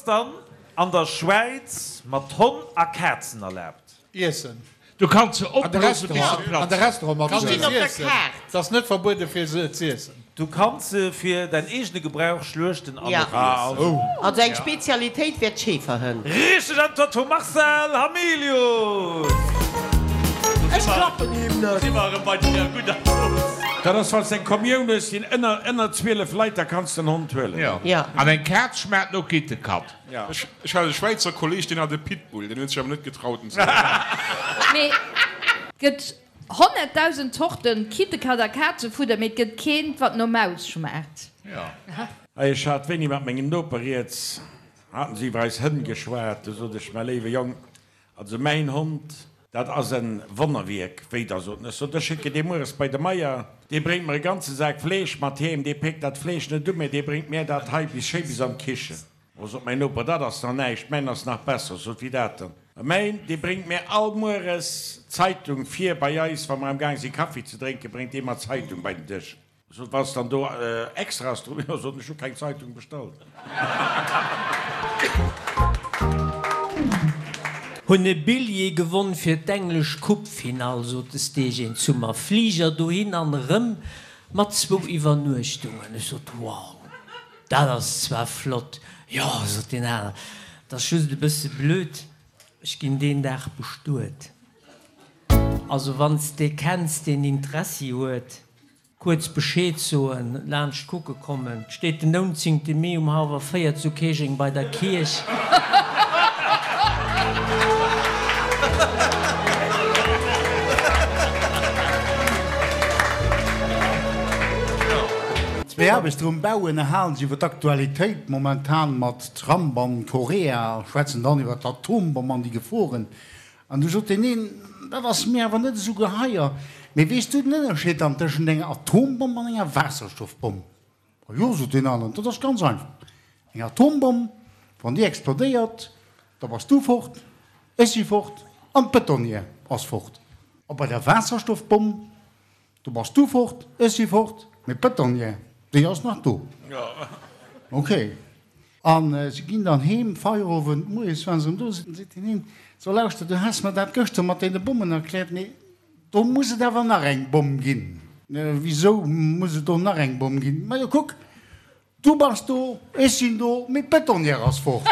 ass dann an der Schwäiz mat Honn a Kazen erlaabt? Iessen. Du kanns se opblosen bis se platzen. An de Restaurant mat se stinn op der Kaart. Et ass net verbuede fir se z'iessen. Du kanns se fir däin eegene Gebrauch schluechten an och iessen. Also eng Spezialitéit wär d'Schäferhënn. Richteg Äntwert vum Marcel Hamilius! Ech klappen him net. Si mer erëm bei der gudder Dose. Dat ass falls eng Kommioun hues sinn ënner ënner 12 Leit, da kanns de en Hond huelen. Jo. An eng Kaz schmaacht no Kittekat. Ech hat e Schwäizer Kolleg, deen hat e Pitbull, deen huet sech awer net getraut en ze huelen. Mee et gëtt 100.000 Zorten Kittekat a Kazefudder, mee et gëtt keent wat no Maus schmaacht. Hei, ech hat wéini mat mengem Noper rieds, haten se iwwer eis Hënn geschwat, du sot ech, Mäi léiwe Jong, also mäin Hond, dat ass en Wonnerwierk, wéi da, sot en, ech sot, ech schécken dee mueres bei de Meier, dee bréngt mer e ganze Sak Fleesch mat heem, dee péckt dat Fleesch net u, mä dee bréngt mär dat hei bis schéi bis an d'Kichen. O, sot mäin Noper, dat ass nach näischt, mäin ass nach besser. Sot, Wéi dat dann? Mäin, dee bréngt mir all mueres d'Zeitung vir bei eis, wa mer am Gaang si Kaffi ze drénken, bréngt dee mer d'Zeitung bei den Dësch. Sot, Wann s dann do extra ass dru? Jo, sot en, ech hu keng Zeitung bestallt. Hunn e Billjee gewonn fir d'englesch Coupe-Finall, sot de Stegen zu mer. Fliger dohin an erëm mat zwou Iwwernuechtungen. Ech sot, Wow! Dat ass zwar flott, jo, sot deen aner, 't ass just e bësse blöd, ech ginn deen Dag bestuet. Also wann s de kenns, deen Interessi huet, kuerz Bescheed soen, laanscht kucke kommen. 't steet den 19. Mee um hallwer 4 zu Käerjeng bei der Kierch. Zwéi Aarbechter um Bau ënnerhalen sech iwwer d'Aktualitéit, momentan mat Trump an Korea, a schwätzen dann iwwer d'Atombomm an déi Geforen. An du sot deen een, Dat ass mir awer net esou geheier, mee weess du den Ënnerscheed dann tëschent enger Atombomm an enger Waasserstoffbomm? A jo, sot deen aneren, dat ass ganz einfach, eng Atombomm, wann déi explodéiert, da bass du fort, ech si fort an d'Betonière ass fort. A bei der Waasserstoffbomm, Do bass du fort, ech si fort, mee d'Betonière, déi ass nach do. Ok. A si ginn dann heem, Feierowend, moies waren se erëm do, seet deen een, So lauschter, du has mer dat gëschter mat deene Bommen erkläert, mee do muss et awer nach eng Bomm ginn. Wisou muss et do nach eng Bomm ginn? Majo kuck, Du bass do, ech sinn do, mee d'Betonière ass fort.